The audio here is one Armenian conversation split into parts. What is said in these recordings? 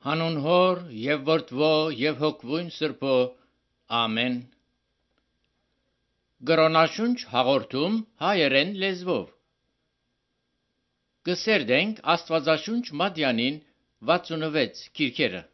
Հանուն Հոր եւ Որդվո եւ Հոգվույն Սրբո, ամեն։ Գրոնաշունչ հաղորդում հայերեն լեզվով։ Կսերդենք Աստվածաշունչ Մատյանին 66 քիրքերը։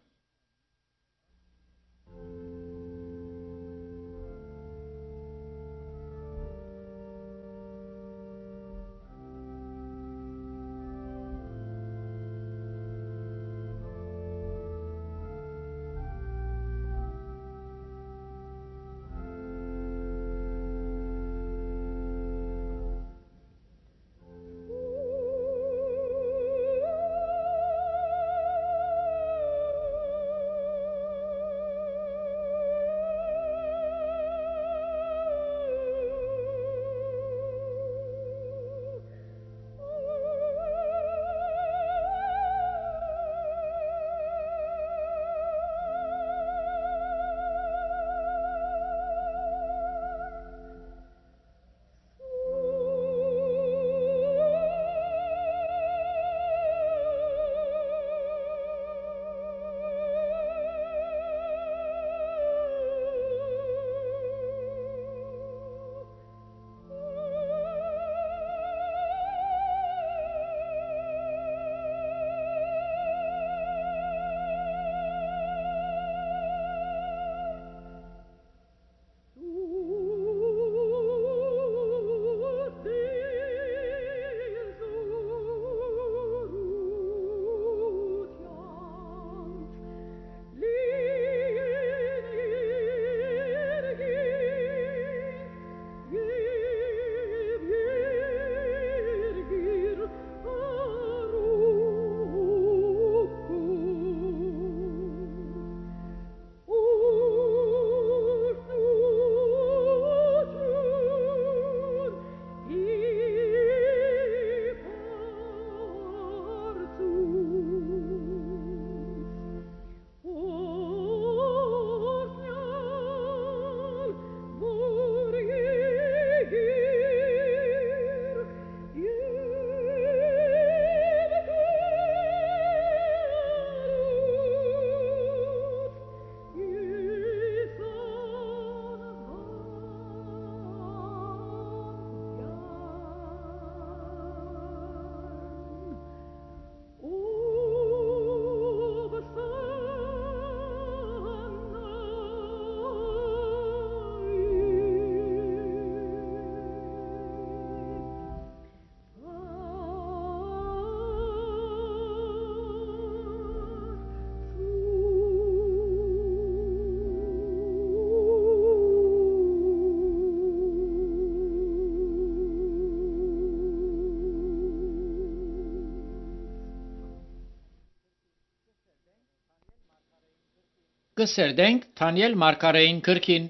Կսերդենք Դանիել Մարգարեին գրքին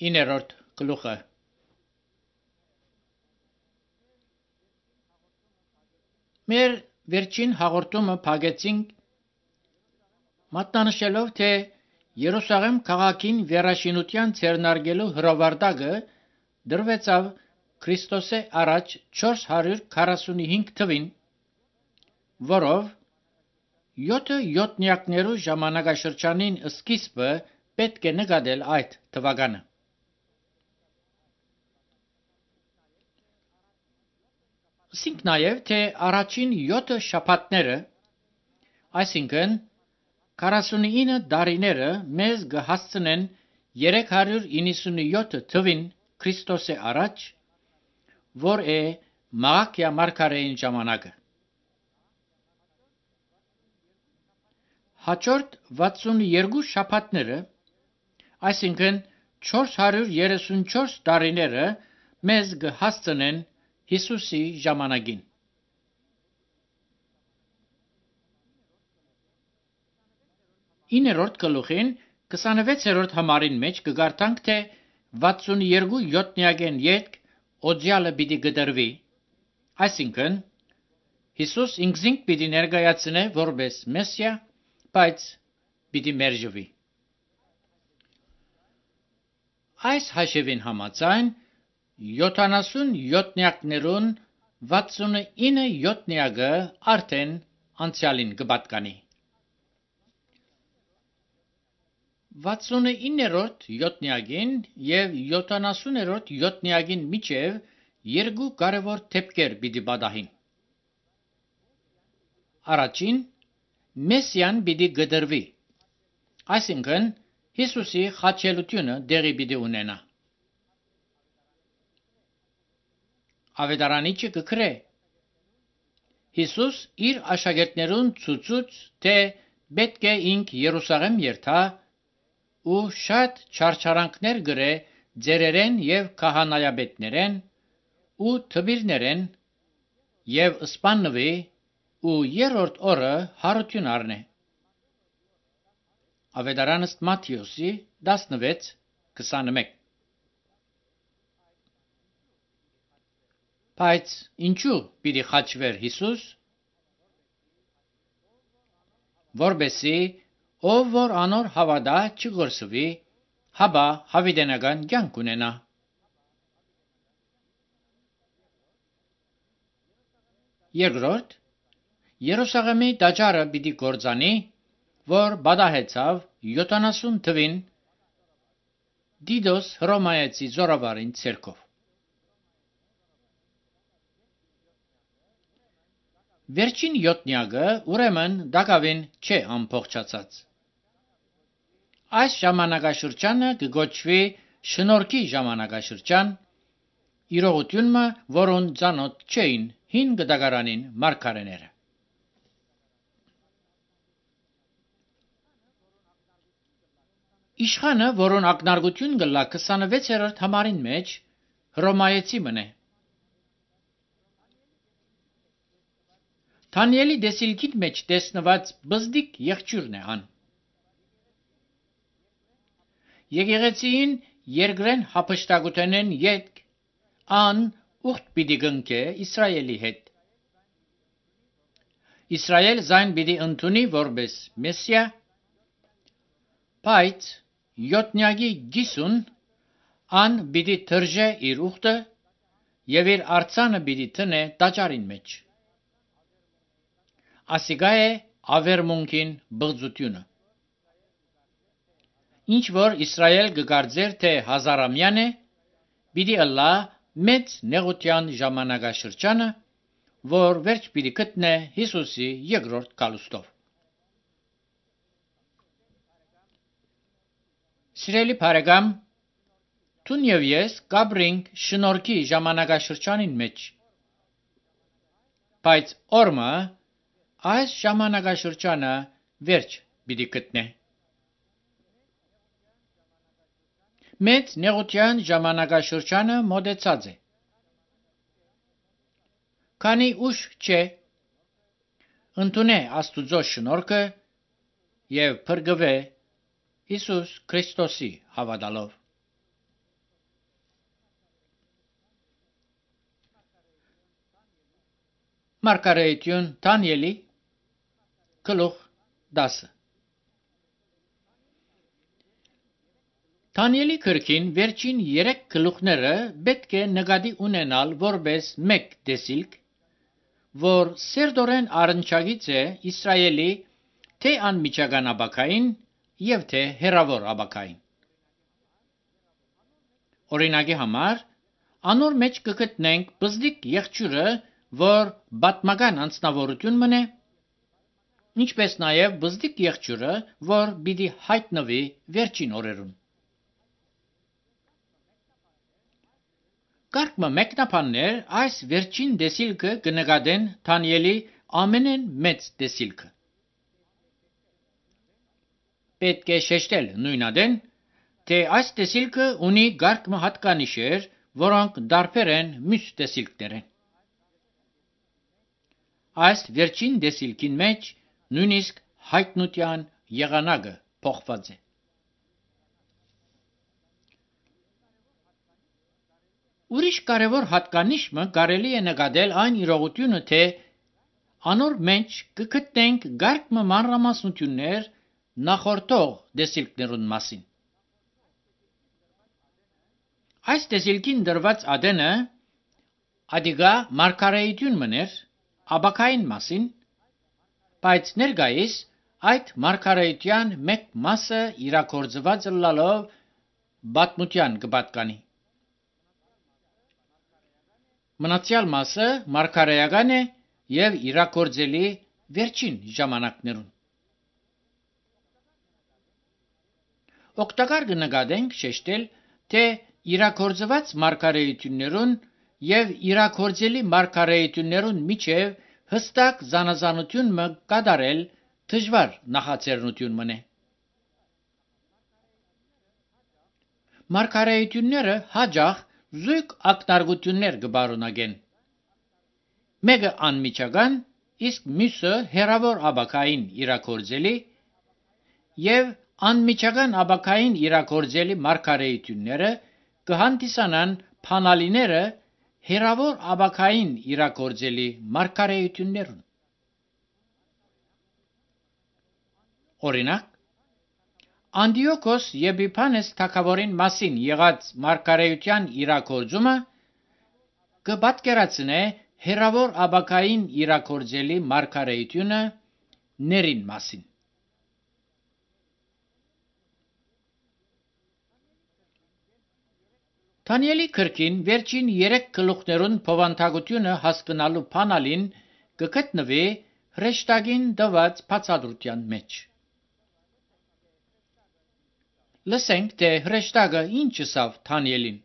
9-րդ գլուխը։ Մեր վերջին հաղորդումը փակեցինք մատնանշելով, թե Երուսաղեմ քաղաքին վերաշինության ցերնարգելու հրովարտակը դրվեցավ Քրիստոսի առաջ 445 թվին, որով 7 յոթնյակներու ժամանակաշրջանին սկիզբը պետք է նկատել այդ թվականը։ Ասենք նաև, թե առաջին 7 շաբաթները, այսինքն 49 տարիները մեզ կհասցնեն 397 թվին Քրիստոսի առաջ, որ է Մաղաքիա Մարգարեին ժամանակը։ Հաջորդ 62 շաբաթները, այսինքն 434 տարիները մեզ կհասցնեն Հիսուսի ժամանակին։ Իններորդ գլուխին 26-րդ համարին մեջ կգարտանք, թե 62 յոթնյակեն ետք օձյալը պիտի գդրվի, այսինքն Հիսուս ինքզինք պիտի ներկայացնե որպես Մեսիա, բայց պիտի մերժվի։ Այս հաշվին համաձայն 70 յոթնյակներուն 69 յոթնյակը արդեն անցյալին կպատկանի։ 69-րդ յոթնյակին և 70-րդ յոթնյակին միջև երկու կարևոր դեպքեր պիտի պատահին։ Առաջին, Մեսիան պիտի գդրվի, այսինքն Հիսուսի խաչելությունը դեղի պիտի ունենա։ Ավետարանիչը կգրե. Հիսուս իր աշակերտներուն ցուցուց, թե պետք է ինք Երուսաղեմ երթա ու շատ չարչարանքներ գրե ձերերեն և քահանայապետներեն ու թմիրներեն և սպաննվի ու երրորդ օրը հարություն առնե։ Ավետարան ըստ Մատթեոսի 16:21։ Բայց ինչու պիտի խաչվեր Հիսուս? Որպեսզի ով որ անոր հավատա չգործվի, հապա հավիտենական կյանք ունենա։ Երկրորդ, Երուսաղեմի տաճարը պիտի կործանի, որ պատահեցավ 70 թվին Դիդոս Հռոմայեցի զորավարին ցերկով։ Վերջին յոթնյակը ուրեմն դակավին չէ ամբողջացած։ Այս ժամանակաշրջանը կգոչվի շնորհքի ժամանակաշրջան, իրողությունը, որուն ծանոթ չէին հին գտակարանին մարգարեները։ Իշխանը, որուն ակնարկություն կլա 26-րդ համարին մեջ, Հռոմայեցի մնե։ Դանիելի դեսիլքին մեջ տեսնված բզդիկ եղջյուրն է ան։ Եկեղեցին երկրեն հափշտակութենեն ետք ան ուխտ պիտի գնկե Իսրայելի հետ։ Իսրայել զայն պիտի ընդունի որպես Մեսիա, բայց յոթնյակի գիսուն ան պիտի թրջե իր ուխտը և իր արձանը պիտի տնե տաճարին մեջ։ Ասիկա է ավերմունքին բղծությունը։ Ինչ որ Իսրայել կգարձեր, թե հազարամյան է, պիտի ըլլա մեծ նեղության ժամանակաշրջանը, որ վերջ պիտի գտնե Հիսուսի երկրորդ գալուստով։ Սիրելի բարեկամ, դուն և ես կապրինք շնորհքի ժամանակաշրջանին մեջ, բայց օրմը այս ժամանակաշրջանը վերջ պիտի գտնե։ Մեծ նեղության ժամանակաշրջանը մոտեցած է։ Քանի ուշ չէ, ընդունե Աստուծո շնորհքը և փրկվե Հիսուս Քրիստոսի հավատալով։ Մարգարեություն Դանիելի գլուխ 10։ Դանիելի գրքին վերջին 3 գլուխները պետք է նկատի ունենալ որպես մեկ տեսիլք, որ սերտորեն առնչագից է Իսրայելի թե անմիջական ապագային և թե հեռավոր ապագային։ Օրինակի համար, անոր մեջ կգտնենք բզդիկ եղջյուրը, որ պատմական անձնավորություն մնե, ինչպես նաև բզդիկ եղջյուրը, որ պիտի հայտնվի վերջին օրերուն։ Կարգմը մեկնաբաններ այս վերջին տեսիլքը կնկատեն Դանիելի ամենեն մեծ տեսիլքը։ Պետք է շեշտել նույնադեն, թե այս տեսիլքը ունի կարգմը հատկանիշեր, որոնք տարբեր են մյուս տեսիլքներեն։ Այս վերջին տեսիլքին մեջ նույնիսկ հայտնության եղանակը փոխված է։ Ուրիշ կարևոր հատկանիշը կարելի է նկատել այն իրողությունը, թե անոր մեջ կգտնենք կարգմը մանրամասնություններ նախորդող տեսիլքներուն մասին։ Այս տեսիլքին դրված ադենը ադիգա մարգարեություն մներ ապագային մասին, բայց ներկայիս այդ մարգարեության մեկ մասը իրագործված լալով բատմության կպատկանի։ Մնացյալ մասը մարգարեական է եւ իրագործելի վերջին ժամանակներուն։ Օգտակար կնկատենք շեշտել, թե իրագործված մարգարեություններուն եւ իրագործելի մարգարեություններուն միջև հստակ զանազանություն մը կատարել դժվար նախաձեռնություն մնե։ Մարգարեությունները հաջող զույգ ակնարկություններ կբարունագեն։ Մեկը անմիջական, իսկ մյուսը հերավոր աբակային իրագործելի եւ անմիջական աբակային իրագործելի մարգարեությունները կհանդիսանան փանալիները հերավոր աբակային իրագործելի մարգարեություններուն։ Օրինակ, Անդիոքոս Եփիփանես թագավորին մասին եղած մարգարեության իրագործումը կպատկերացնե հերավոր աբակային իրագործելի մարգարեությունը ներին մասին։ Դանիելի գրքին վերջին 3 գլուխներուն փոխանցագությունը հասկանալու փանալին կգտնվի հրեշտակին տված բացատրության մեջ։ Լսենք, թե հրեշտակը ինչ ասավ Դանիելին։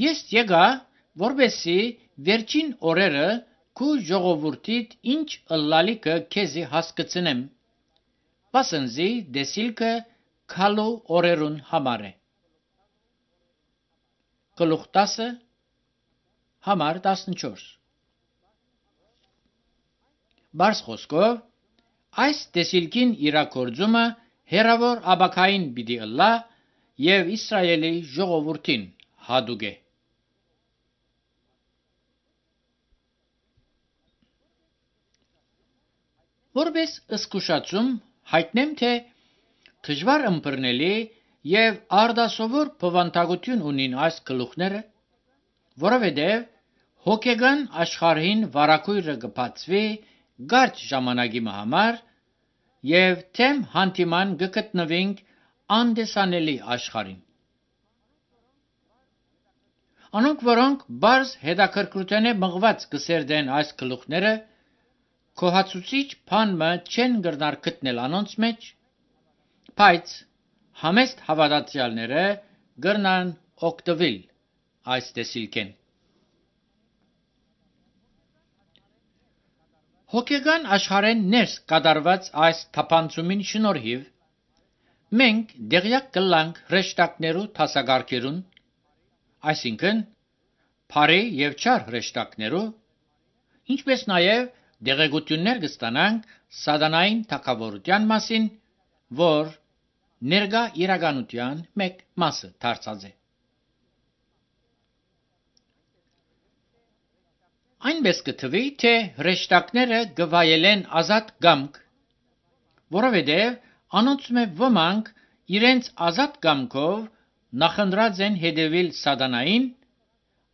Ես եկա, որպեսզի վերջին օրերը քու ժողովուրդիդ ինչ ըլլալիքը քեզի հասկացնեմ, վասնզի դեսիլքը քալու օրերուն համար է։ Գլուխ 10 համար 14 Բարս խոսքով, այս դեսիլքին իրագործումը հերավոր աբակային պիտի ըլլա եւ Իսրայելի ժողովուրդին հադուկ է։ Որպես զսկուշացում հայտնեմ, թե դժվար ըմբռնելի եւ արդասովոր բովանդակություն ունին այս գլուխները, որովհետեւ հոգեգան աշխարհին վարակույրը կբացվի կարճ ժամանակի համար եւ թեմ հանդիման կգտնվենք անդեսանելի աշխարհին։ Անոնք, որոնք բարձ հետաքրքրութենե մղված կսերդեն այս գլուխները, կոհացուցիչ բանմը չեն գրնար գտնել անոնց մեջ, բայց համեստ հավատացյալները գրնան օգտվել այս դեսիլքեն։ Հոգեգան աշխարհեն ներս կատարված այս թափանցումին շնորհիվ մենք դեղյակ կլանք հրեշտակներու դասակարգերուն, այսինքն բարի եւ չար հրեշտակներու, ինչպես նաեւ դեղեցություններ կստանանք սատանային թագավորության մասին, որ ներկա իրականության մեկ մասը դարձած է։ Այնպես կթվի, թե հրեշտակները գվայելեն ազատ կամք, որովհետև անոնց մեջ ոմանք իրենց ազատ կամքով նախընտրած են հետևել սատանային,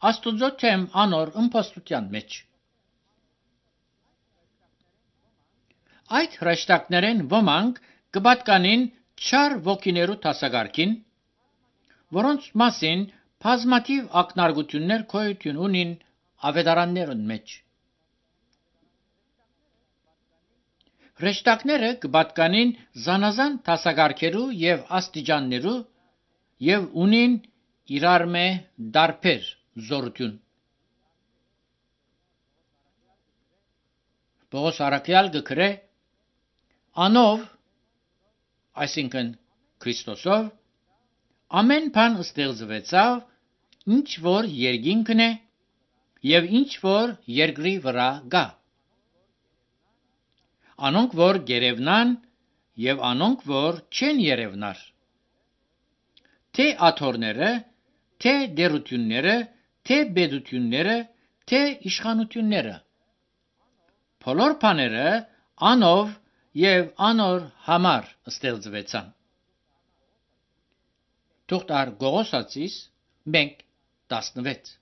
Աստուծո թեմ անոր իմպոստության մեջ։ Այդ հրեշտակներեն ոմանք կպատկանին չար ոգիներու դասակարգին, որոնց մասին բազմաթիվ ակնարկություններ գոյություն ունին ավետարաններուն մեջ։ Հրեշտակները կպատկանին զանազան դասակարգերու եւ աստիճաններու եւ ունին իրար մե դարբեր զորություն։ Պողոս առաքյալ գրե. Անով, այսինքն Քրիստոսով, ամեն բան ստեղծվեցավ, ինչ որ երկինքն է եւ ինչ որ երկրի վրա կա։ Անոնք որ գերևնան եւ անոնք որ չեն երևնար։ Թե աթոռները, թե դերությունները, թե բեդությունները, թե իշխանությունները։ Բոլոր բաները անով եւ անոր համար ստեղծվեցան։ Թուղթար Գողոսացիս 1:16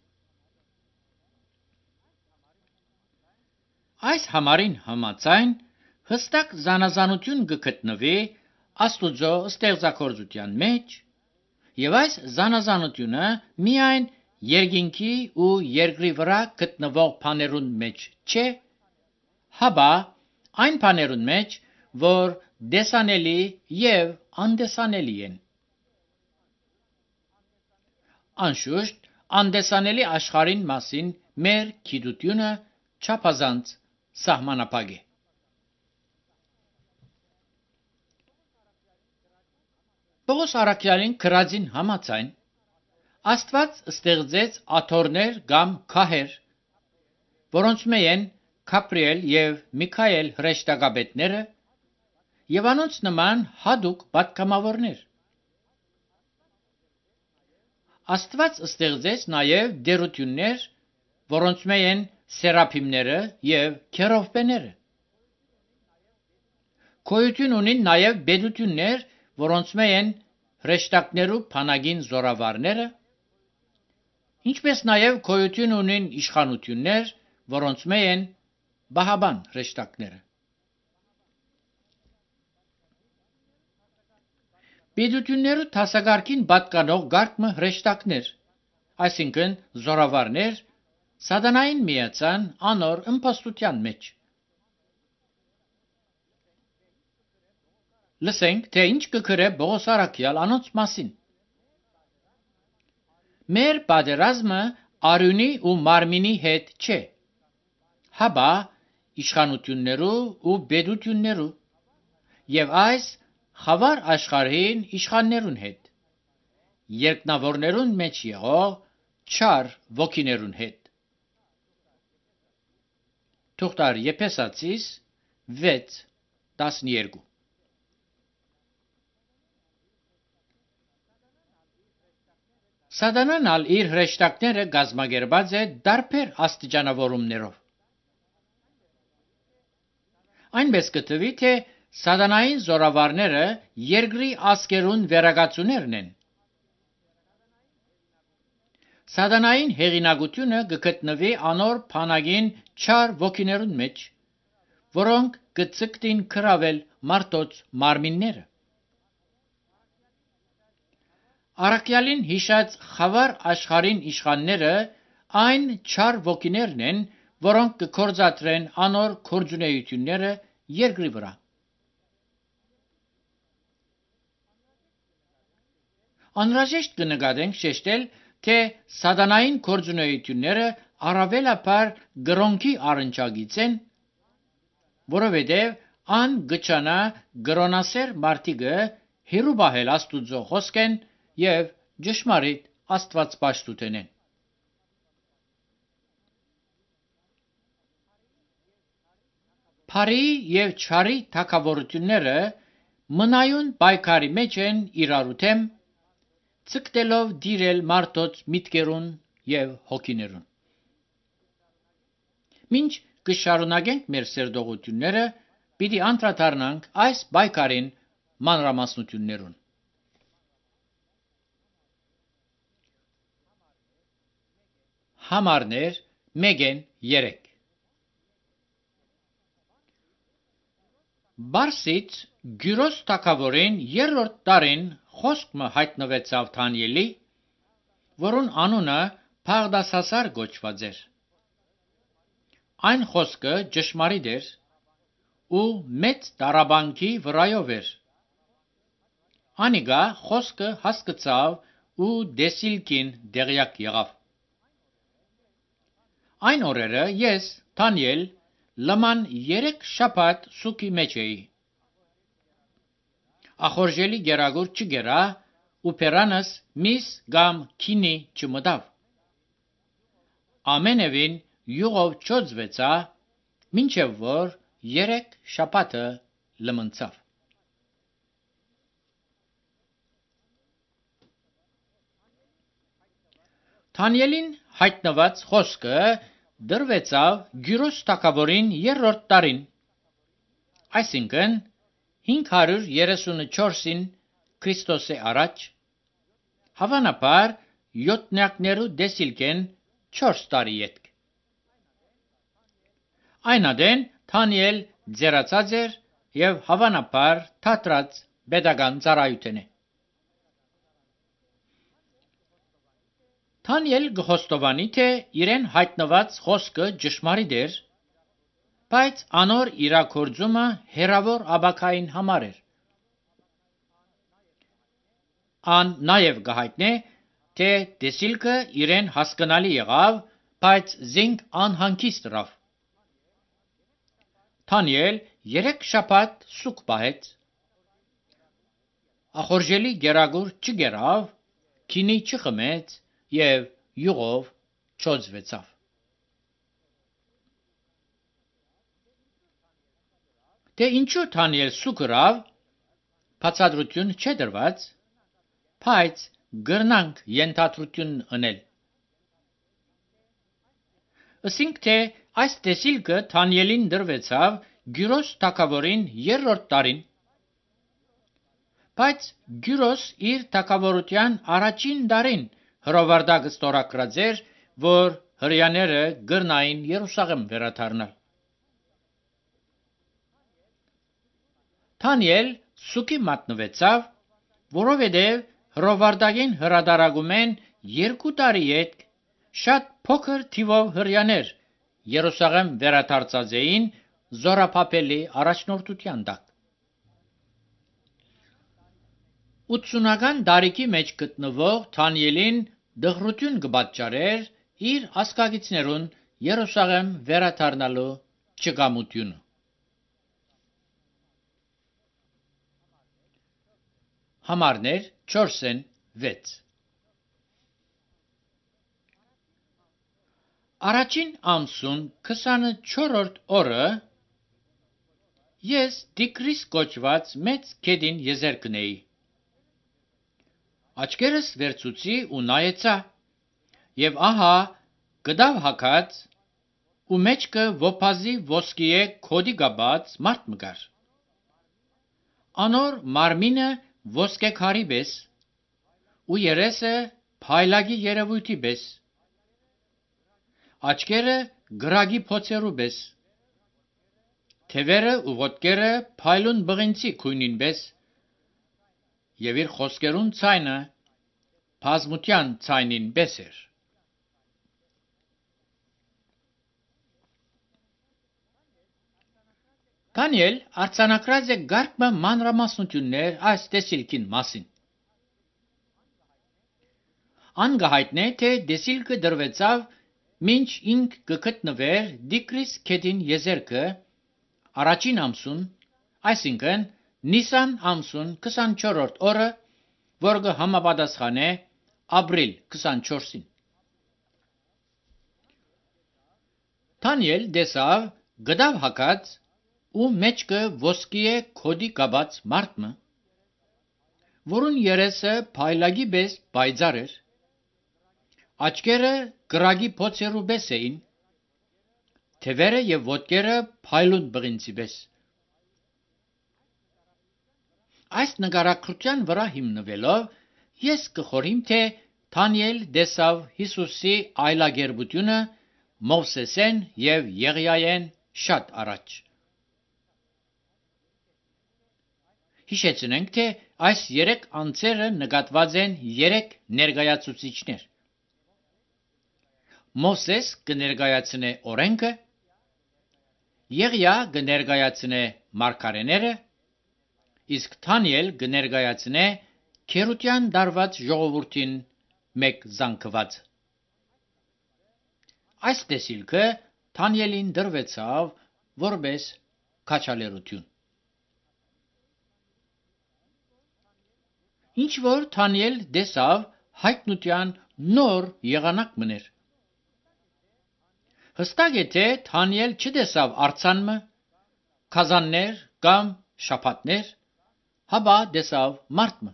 Այս համարին համաձայն հստակ զանազանություն կգտնվի Աստուծո ստեղծագործության մեջ, եւ այս զանազանությունը միայն երկինքի ու երկրի վրա գտնվող բաներուն մեջ չէ, հապա այն բաներուն մեջ, որ տեսանելի եւ անդեսանելի են։ Անշուշտ, անդեսանելի աշխարհին մասին մեր գիտությունը չափազանց սահմանափակ է։ Պողոս առաքյալին գրածին համաձայն Աստված ստեղծեց աթոռներ կամ քահեր, որոնց մեծ Գաբրիել եւ Միքայել հրեշտակապետները եւ անոնց նման հadouk պատգամավորներ։ Աստված ստեղծեց նաեւ դերություններ, որոնց մեջ են սերափիմները եւ քերովբեները։ Գոյություն ունին նաեւ բեդություններ, որոնց մեջ են հրեշտակներու բանակին զորավարները, ինչպես նաեւ գոյություն ունին իշխանություններ, որոնց մեջ են բահաբան հրեշտակները։ Բեդություններու դասակարգին պատկանող գարկմը հրեշտակներ, այսինքն զորավարներ, սատանային միացան անոր իմպոստության մեջ։ Լսենք, թե ինչ կգրե Պողոս առաքյալ անոնց մասին։ Մեր պատերազմը արյունի ու մարմինի հետ չէ, հապա իշխանություններու ու բեդություններու եւ այս խավար աշխարհին իշխաններուն հետ, երկնավորներուն մեջ եղող չար ոգիներուն հետ։ Թուղթար Եփեսացիս 6:12 Սատանան ալ իր հրեշտակները գազմագերբած է դարբեր աստիճանավորումներով։ Այնպես կթվի, թե սատանային զորավարները երկրի ազգերուն վերագացուներն են։ Սատանային հեղինակությունը կգտնվի անոր բանակին չար ոգիներուն մեջ, որոնք կձգտին գրավել մարդոց մարմինները։ Առաքյալին հիշած խավար աշխարհին իշխանները այն չար ոգիներն են, որոնք կգործադրեն անոր գործունեությունները երկրի վրա։ Անհրաժեշտ կնկատենք շեշտել, թե սատանային գործունեությունները առավելաբար գրոնքի առնչագից են, որովհետև ան գճանա գրոնասեր մարդիկը հիրու բահել Աստուծո խոսքեն եւ ճշմարիտ Աստվածպաշտութենեն։ Փարի եւ չարի թակավորությունները մնայուն պայքարի մեջ են իրարու դեմ, ցկտելով դիրել մարդոց միտքերուն եւ հոգիներուն։ Մինչ կշարունակենք մեր սերտողությունները, պիտի անդրադառնանք այս պայքարին մանրամասնություններուն։ Համարներ 1-3 Բարսից Գյուրոս թագավորին երրորդ տարին խոսքը հայտնվեցավ Դանիելի, որուն անունը Բաղդասասար կոչված էր։ Այն խոսքը ճշմարիտ էր ու մեծ տարաբանքի վրայով էր։ Անիկա խոսքը հասկացավ ու դեսիլքին դեղյակ եղավ։ Այն օրերը ես, Դանիել, լման 3 շաբաթ սուգի մեջ էի։ Ախորժելի գերագուր չգերա ու պերանս միս կամ քինի չմտավ։ Ամենևին յուղով չոծվեցա, մինչև որ 3 շաբաթը լմնցավ։ Դանիելին հայտնված խոսքը դրվեցավ Գյուրոս թագավորին երրորդ տարին, այսինքն 534-ին Քրիստոսի առաջ, հավանաբար յոթնյակներու դեսիլքեն 4 տարի ետք։ Այնադեն Թանիել ձերացած էր եւ հավանաբար թատրած pedagogan ծառայութենե։ Թանիել գխոստովանի թե իրեն հայտնված խոսքը ճշմարիտ էր, բայց անոր իրակորձումը հերավոր աբակային համար էր։ Ան նաև գահիտնե, թե տեսիլքը իրեն հասկանալի եղավ, բայց զինք անհանգիստ ռավ։ Թանիել 3 շաբաթ սուկ պահեց, ախորժելի գերագուր չգերավ, քինի չխմեց եւ յուղով չոծվեցավ։ Դե ինչու Թանիել սուկ ռավ, բացատրություն չդրված, բայց գրնանք ենթադրություն անել։ Ասինք թե այս տեսիլքը Թանիելին դրվեցավ Գյուրոս թագավորին 3-րդ տարին, բայց Գյուրոս իր թագավորության առաջին տարին հրովարտակը ստորագրած էր, որ հրեաները գրնային Երուսաղեմ վերադառնալ։ Թանիել սուկի մատնվեցավ, որովհետև հրովարտակին հրադարագում են 2 տարի ետք շատ փոքր թիվով հրեաներ Երուսաղեմ վերադարձած էին Զորաբաբելի առաջնորդության տակ։ 80-ական տարիքի մեջ գտնվող Թանիելին դղրություն կպատճառեր իր ասկագիցներուն Երուսաղեմ վերադառնալու չգամությունը։ Համարներ 4-6 Առաջին ամսուն 24-րդ օրը ես Տիգրիս կոչված մեծ գետին եզերքնեի։ Աչքերս վերցուցի ու նայեցա, եւ ահա գդավ հագած ու մեջքը ոփազի ոսկիե քոդի գաբած մարդ մգար։ Անոր մարմինը ոսկեքարի պես ու երեսը փայլագի երևույթի պես, աչքերը գրագի փոցերու պես, թևերը ու ոտքերը փայլուն բղինցի քույնին պես, եւ իր խոսքերուն ցայնը բազմության ցայնին պես էր։ Թանիել արձանագրած է գարկմը մանրամասնություններ այս տեսիլքին մասին։ Անգահայտնե թե տեսիլքը դրվեցավ մինչ ինք կգտնվեր Տիգրիս գետին եզերքը առաջին ամսուն, այսինքն Նիսան ամսուն 24-րդ օրը, որ կհամապատասխանե ապրիլ 24-ին։ Թանիել տեսավ գդավ հագած ու մեջքը ոսկիե քոդի գաբած մարդը, որուն երեսը փայլագի պես պայծառ էր, աչքերը գրագի փոցերու պես էին, թևերը եւ ոտքերը փայլուն բղինցի պես։ Այս նկարագրության վրա հիմնվելով ես կխորհիմ, թե Թանիել տեսավ Հիսուսի այլագերբությունը Մովսեսեն եւ Եղիային շատ առաջ։ Հիշեցնենք, թե այս 3 անձերը նկատված են 3 ներկայացուցիչներ։ Մովսես կներկայացնե օրենքը, Եղիա կներկայացնե մարգարեները, իսկ Թանիել կներկայացնե քերության դարված ժողովրդին մեկ զանգված։ Այս տեսիլքը Թանիելին դրվեցավ որպես քաջալերություն։ Ինչ որ Թանիել տեսավ հայտնության նոր եղանակ մներ։ Հստակ է, թե Թանիել չտեսավ արձանմը, քազաններ կամ շաբաթներ, հապա տեսավ մարդը։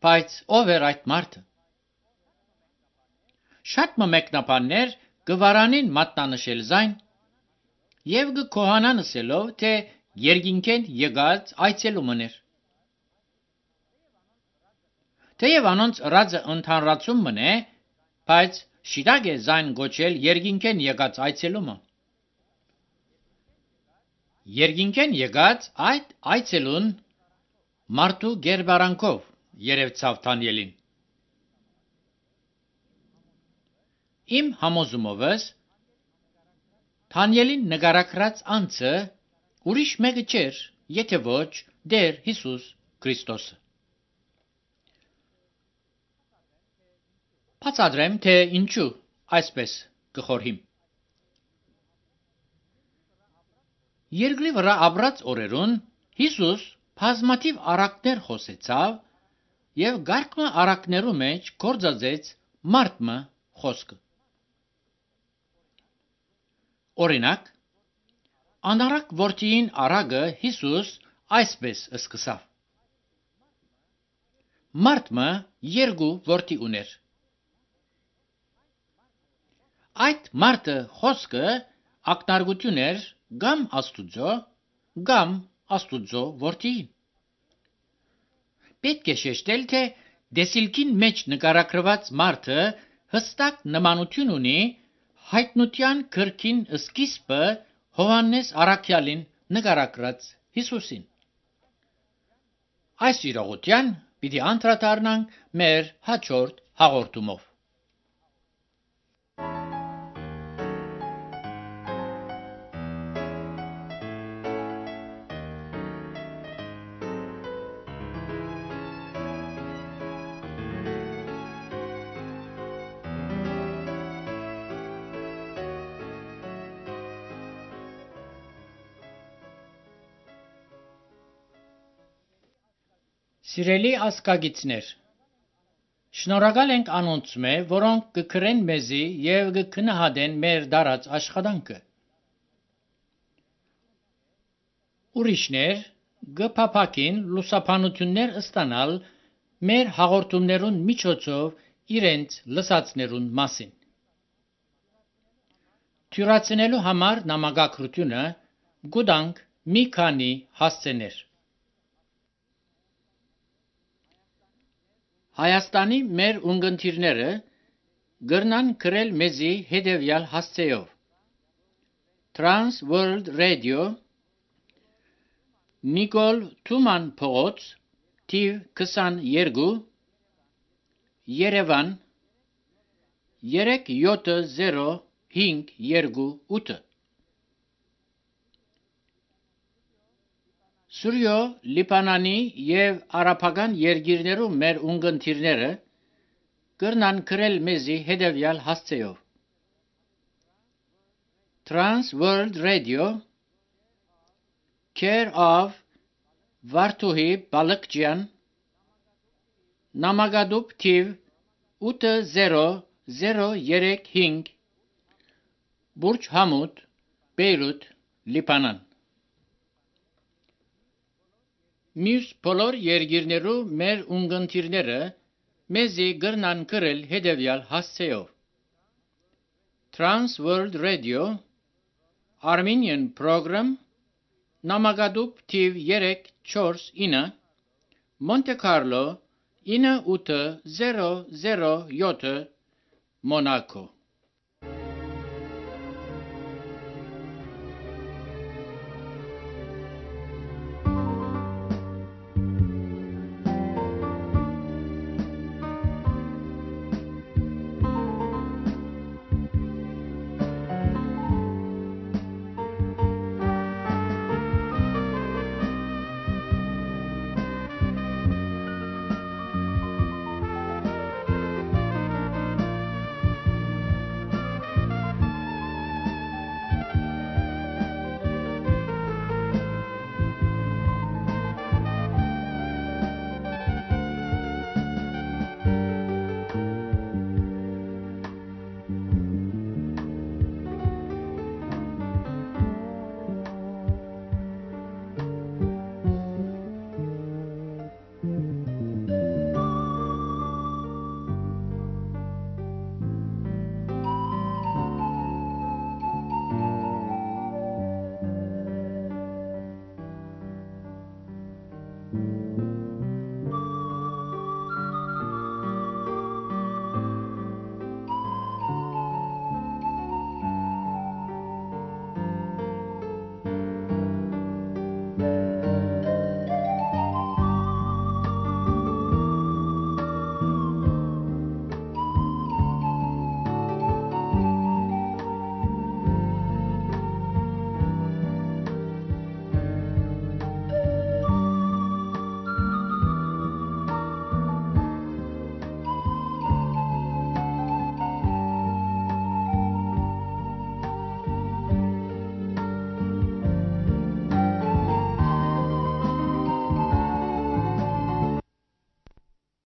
Բայց ով էր այդ մարդը։ Շատ մեկնաբաններ գվարանին մատնանշել զայն եւ կոհանան ասելով, թե երկինքեն եկած այցելումն էր։ Թեև անոնց ռածը ընդհանրացում մնե, բայց շիդագ է զայն գոչել երկինքեն եկած այցելումը։ Երկինքեն եկած այդ այցելուն մարդու գերբարանքով երևցավ Դանիելին։ Իմ համոզումովս Դանիելին նկարագրած անձը ուրիշ մեկը չէր, եթե ոչ Տեր Հիսուս Քրիստոսը։ Բացատրեմ, թե ինչու այսպես կխորհիմ։ Երկրի վրա ապրած օրերուն Հիսուս բազմաթիվ առակներ խոսեցավ եւ գարկմը առակներու մեջ գործածեց մարդմը խոսքը։ Օրինակ, անարակ որդին առակը Հիսուս այսպես սկսավ. Մարդմը երկու որդի ուներ։ Այդ մարդը խոսքը ակնարկություն էր կամ Աստուծո որդին։ Պետք է շեշտել, թե դեսիլքին մեջ նկարագրված մարդը հստակ նմանություն ունի հայտնության գրքին սկիզբը Հովհաննես առաքյալին նկարագրած Հիսուսին։ Այս իրողության պիտի անդրադառնանք մեր հաջորդ հաղորդումով։ Սիրելի ազգագիցներ, շնորհակալ ենք անոնցմե, որոնք կգրեն մեզի եւ կգնահատեն մեր դարած աշխատանքը։ Ուրիշներ կփափակին լուսաբանություններ ստանալ մեր հաղորդումներուն միջոցով իրենց լսածներուն մասին։ Թյուրացնելու համար նամակագրությունը գուտանք մի քանի հասցեներ։ Հայաստանի մեր ունգընտիրները գրնան գրել մեզի հետևյալ հասցեով. Trans World Radio Նիկոլ Թուման փողոց թիվ 22 Երևան 37058 Սուրյո Լիբանանի եւ արաբական երկիրներու մեր ունգընտիրները կրնան գրել մեզի հետևյալ հասցեով. Trans World Radio Care of Վարդուհի Բալկջյան Նամակադուբ թիվ 80035 Բուրջ Համուդ Բեյրութ Լիբանան Մյուս բոլոր երկիրներու մեր ունգընտիրները մեզի գրնան գրել հետևյալ հասցեով. Trans World Radio Armenian Program Նամակադուբ թիվ 349 Monte Carlo 9807 Monaco